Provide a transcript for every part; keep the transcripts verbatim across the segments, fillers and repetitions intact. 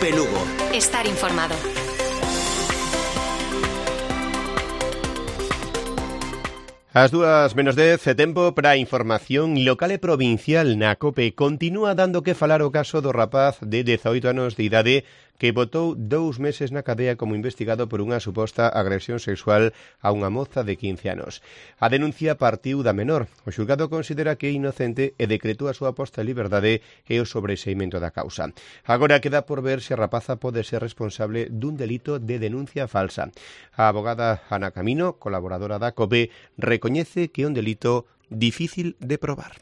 COPE Lugo. Estar informado. As dúas menos dez, tempo para a información local e provincial na COPE. Continúa dando que falar o caso do rapaz de dezaoito anos de idade que botou dous meses na cadea como investigado por unha suposta agresión sexual a unha moza de quince anos. A denuncia partiu da menor. O xulgado considera que é inocente e decretou a súa posta en liberdade e o sobreseimento da causa. Agora queda por ver se a rapaza pode ser responsable dun delito de denuncia falsa. A abogada Ana Camino, colaboradora da COPE, recoñece que é un delito difícil de probar.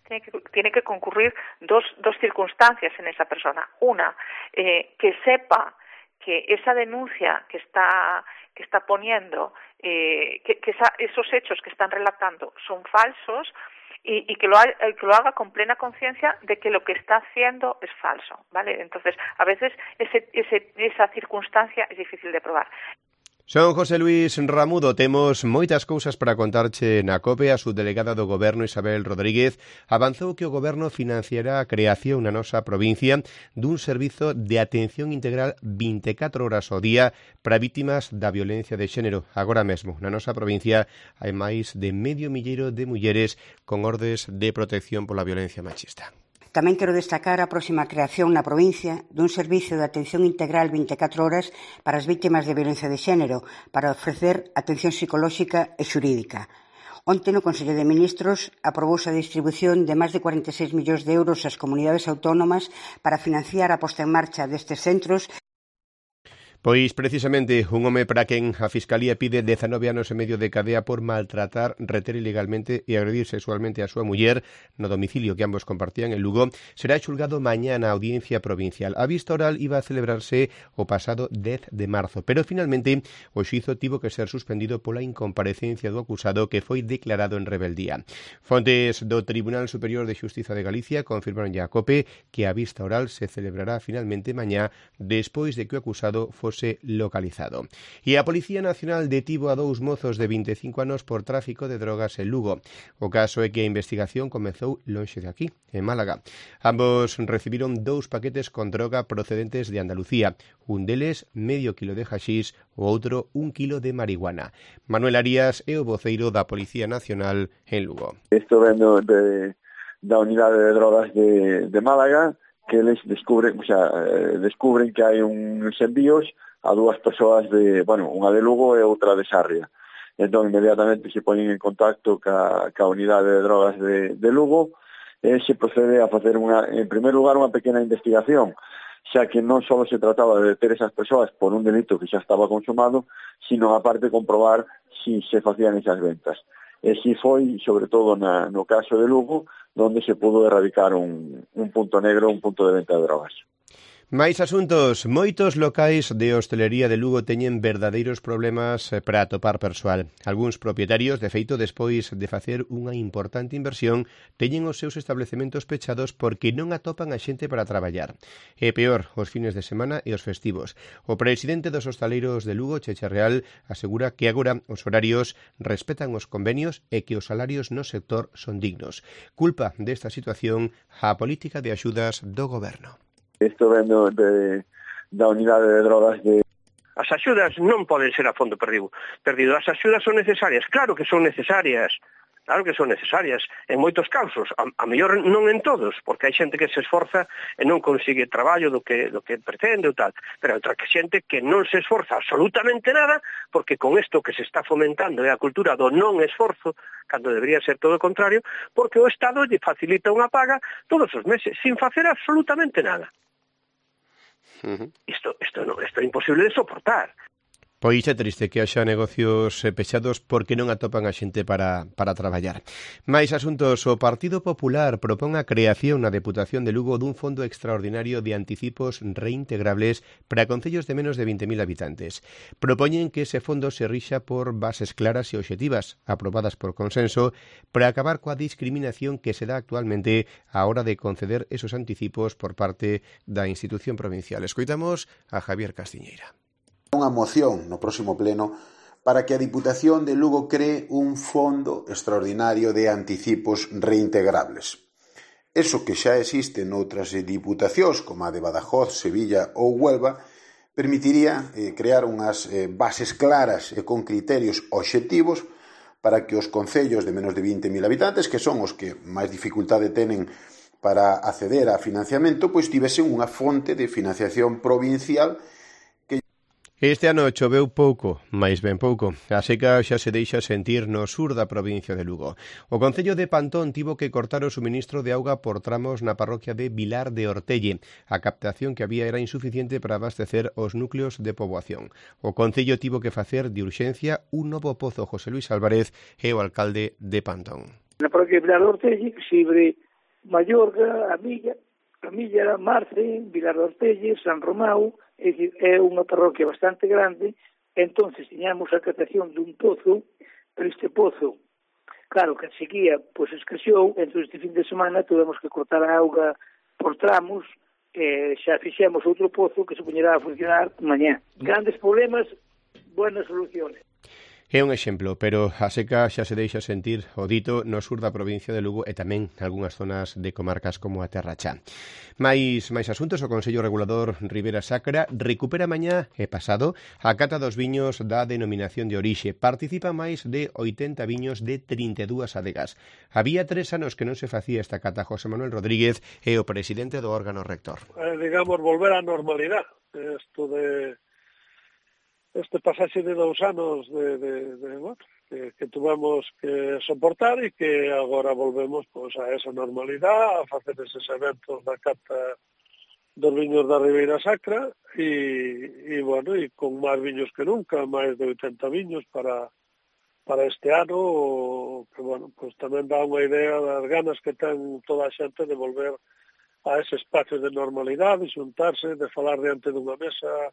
Tiene que, tiene que concurrir dos, dos circunstancias en esa persona. Una, eh, que sepa que esa denuncia que está, que está poniendo, eh, que, que esa, esos hechos que están relatando son falsos y, y que, lo ha, que lo haga con plena conciencia de que lo que está haciendo es falso, ¿vale? Entonces, a veces ese, ese, esa circunstancia es difícil de probar. Son José Luis Ramudo, temos moitas cousas para contarche na COPE. A subdelegada do Goberno, Isabel Rodríguez, avanzou que o Goberno financiará a creación na nosa provincia dun servizo de atención integral vinte e catro horas ao día para vítimas da violencia de xénero. Agora mesmo, na nosa provincia, hai máis de medio milleiro de mulleres con ordes de protección pola violencia machista. Tamén quero destacar a próxima creación na provincia dun servizo de atención integral vinte e catro horas para as vítimas de violencia de xénero, para ofrecer atención psicolóxica e xurídica. Onte no Consello de Ministros aprobouse a distribución de máis de cuarenta e seis millóns de euros ás comunidades autónomas para financiar a posta en marcha destes centros. Pois, precisamente, un home para quen a Fiscalía pide dezanove anos e medio de cadea por maltratar, reter ilegalmente e agredir sexualmente a súa muller no domicilio que ambos compartían en Lugo, será xulgado mañá na Audiencia Provincial. A vista oral iba a celebrarse o pasado dez de marzo, pero finalmente o xuízo tivo que ser suspendido pola incomparecencia do acusado que foi declarado en rebeldía. Fontes do Tribunal Superior de Xustiza de Galicia confirmaron a COPE que a vista oral se celebrará finalmente mañá despois de que o acusado fose localizado. E a Policía Nacional detivo a dous mozos de vinte e cinco anos por tráfico de drogas en Lugo. O caso é que a investigación comezou lonxe de aquí, en Málaga. Ambos recibiron dous paquetes con droga procedentes de Andalucía. Un deles, medio kilo de haxís, o outro, un kilo de marihuana. Manuel Arias é o voceiro da Policía Nacional en Lugo. Isto vendo de, da unidade de drogas de, de Málaga, que eles descubren, o sea, descubren que hai uns envíos a dúas persoas de, bueno, unha de Lugo e outra de Sarria. Entón, inmediatamente se ponen en contacto ca, ca unidade de drogas de, de Lugo e se procede a facer, unha, en primer lugar, unha pequena investigación, xa que non só se trataba de deter esas persoas por un delito que xa estaba consumado, sino aparte comprobar si se facían esas ventas. E si foi, sobre todo na, no caso de Lugo, donde se pudo erradicar un, un punto negro, un punto de venta de drogas. Mais asuntos, moitos locais de hostelería de Lugo teñen verdadeiros problemas para atopar persoal. Algúns propietarios, de feito, despois de facer unha importante inversión, teñen os seus establecementos pechados porque non atopan a xente para traballar. E peor, os fines de semana e os festivos. O presidente dos hostaleiros de Lugo, Checha Real, asegura que agora os horarios respetan os convenios e que os salarios no sector son dignos. Culpa desta situación a política de axudas do goberno. Isto vendo de, da unidade de drogas de... As axudas non poden ser a fondo perdido. perdido. As axudas son necesarias, claro que son necesarias, claro que son necesarias, en moitos casos, a, a mellor non en todos, porque hai xente que se esforza e non consigue traballo do que, do que pretende ou tal, pero hai outra xente que non se esforza absolutamente nada, porque con isto que se está fomentando é a cultura do non esforzo, cando debería ser todo o contrario, porque o Estado lle facilita unha paga todos os meses, sin facer absolutamente nada. Uh-huh. Isto, isto, no, isto é imposible de soportar. Pois é triste que haxa negocios pechados porque non atopan a xente para, para traballar. Mais asuntos, o Partido Popular propón a creación na Deputación de Lugo dun fondo extraordinario de anticipos reintegrables para concellos de menos de vinte mil habitantes. Propoñen que ese fondo se rixa por bases claras e obxectivas, aprobadas por consenso, para acabar coa discriminación que se dá actualmente á hora de conceder esos anticipos por parte da institución provincial. Escoitamos a Javier Castiñeira. Unha moción no próximo pleno para que a Diputación de Lugo cree un fondo extraordinario de anticipos reintegrables. eso que xa existe noutras diputacións, como a de Badajoz, Sevilla ou Huelva, permitiría eh, crear unhas eh, bases claras e con criterios obxectivos para que os concellos de menos de vinte mil habitantes, que son os que máis dificultade tenen para acceder a financiamento, pois tivesen unha fonte de financiación provincial. Este ano choveu pouco, máis ben pouco. A seca xa se deixa sentir no sur da provincia de Lugo. O Concello de Pantón tivo que cortar o suministro de auga por tramos na parroquia de Vilar de Ortelle. A captación que había era insuficiente para abastecer os núcleos de poboación. O Concello tivo que facer de urxencia un novo pozo. José Luis Álvarez é o alcalde de Pantón. Na parroquia de Vilar de Ortelle, Xibre, Mallorca, a Milla, a Milla, Marce, Vilar de Ortelle, San Romao. É dicir, é unha parroquia bastante grande, entonces tiñamos a captación dun pozo, pero este pozo, claro, que a sequía, pois escaseou, entón este fin de semana tuvemos que cortar a auga por tramos, e xa fixemos outro pozo que se poñerá a funcionar mañá. Grandes problemas, buenas soluciones. É un exemplo, pero a seca xa se deixa sentir o dito no sur da provincia de Lugo e tamén nalgúnas zonas de comarcas como a Terra Chá. Mais, máis asuntos, o Consello Regulador Ribera Sacra recupera mañá e pasado a cata dos viños da denominación de orixe. Participa máis de oitenta viños de trinta e dúas adegas. Había tres anos que non se facía esta cata. José Manuel Rodríguez é o presidente do órgano rector. Eh, digamos, volver á normalidade. Isto de... este pasaxe de dous anos de, de, de, bueno, que, que tuvemos que soportar e que agora volvemos pues, a esa normalidade, a facer eses eventos da cata dos viños da Ribeira Sacra e, e bueno, e con máis viños que nunca, máis de oitenta viños para, para este ano, que bueno, pues tamén dá unha idea das ganas que ten toda a xente de volver a ese espacio de normalidade, de xuntarse, de falar diante dunha mesa,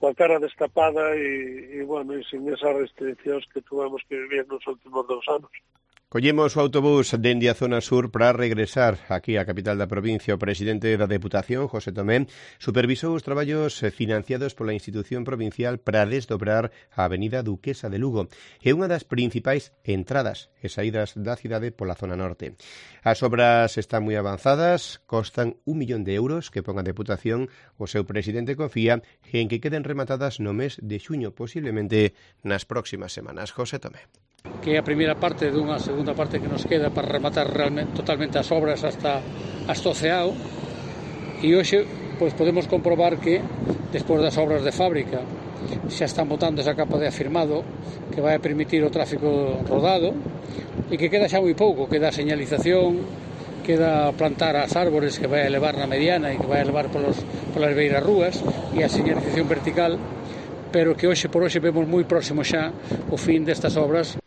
coa cara destapada e, e, bueno, e sin esas restriccións que tuvemos que vivir nos últimos dous anos. Collemos o autobús dende a zona sur para regresar aquí á capital da provincia. O presidente da Deputación, José Tomé, supervisou os traballos financiados pola institución provincial para desdobrar a avenida Duquesa de Lugo. É unha das principais entradas e saídas da cidade pola zona norte. As obras están moi avanzadas, costan un millón de euros que pon a Deputación. O seu presidente confía en que queden rematadas no mes de xuño, posiblemente nas próximas semanas. José Tomé. Que é a primeira parte dunha segunda parte que nos queda para rematar realmente totalmente as obras hasta hasta o Ceao, e hoxe pois podemos comprobar que despois das obras de fábrica xa están botando esa capa de afirmado que vai a permitir o tráfico rodado e que queda xa moi pouco, queda a señalización, queda plantar as árbores que vai a elevar na mediana e que vai a elevar polos, polas beiras rúas e a señalización vertical, pero que hoxe por hoxe vemos moi próximo xa o fin destas obras.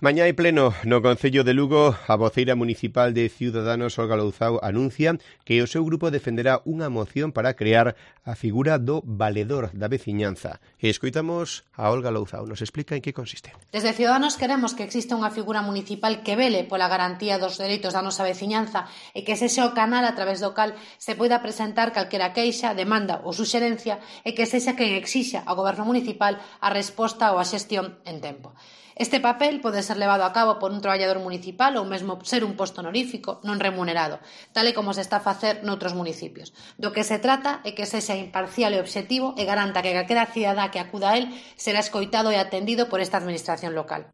Mañá hai pleno no Concello de Lugo. A voceira municipal de Ciudadanos, Olga Louzao, anuncia que o seu grupo defenderá unha moción para crear a figura do valedor da veciñanza. E escoitamos a Olga Louzao. Nos explica en que consiste. Desde Ciudadanos queremos que exista unha figura municipal que vele pola garantía dos dereitos da nosa veciñanza e que sexa o canal a través do cal se poida presentar calquera queixa, demanda ou suxerencia e que sexa quen exixa ao goberno municipal a resposta ou a xestión en tempo. Este papel pode ser levado a cabo por un traballador municipal ou mesmo ser un posto honorífico non remunerado, tal e como se está a facer noutros municipios. Do que se trata é que sexa imparcial e obxectivo e garanta que calquera cidadá que acuda a él será escoitado e atendido por esta administración local.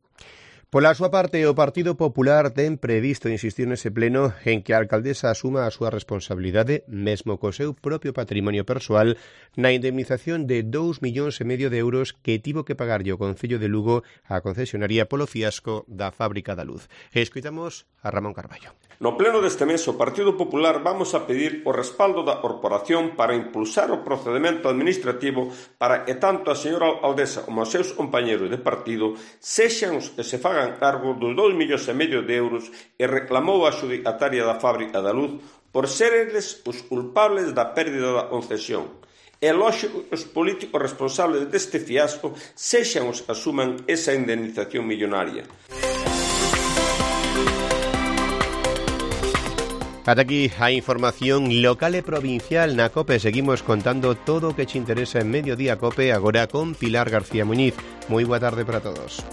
Pola súa parte, o Partido Popular ten previsto insistir nese pleno en que a alcaldesa asuma a súa responsabilidade, mesmo co seu propio patrimonio persoal, na indemnización de dous millóns e medio de euros que tivo que pagarlle o Concello de Lugo á concesionaria polo fiasco da Fábrica da Luz. E escoitamos a Ramón Carballo. No pleno deste mes, o Partido Popular vamos a pedir o respaldo da corporación para impulsar o procedimento administrativo para que tanto a señora alcaldesa como os seus compañeros de partido sexan os que se fagan cargo dos dous millóns e medio de euros e reclamou a xudicataria da Fábrica da Luz por seres os culpables da pérdida da concesión. É lógico que os políticos responsables deste fiasco sexan os que asuman esa indemnización millonaria. Ata aquí a información local e provincial na COPE. Seguimos contando todo o que te interesa en Mediodía COPE, agora con Pilar García Muñiz. Moi boa tarde para todos.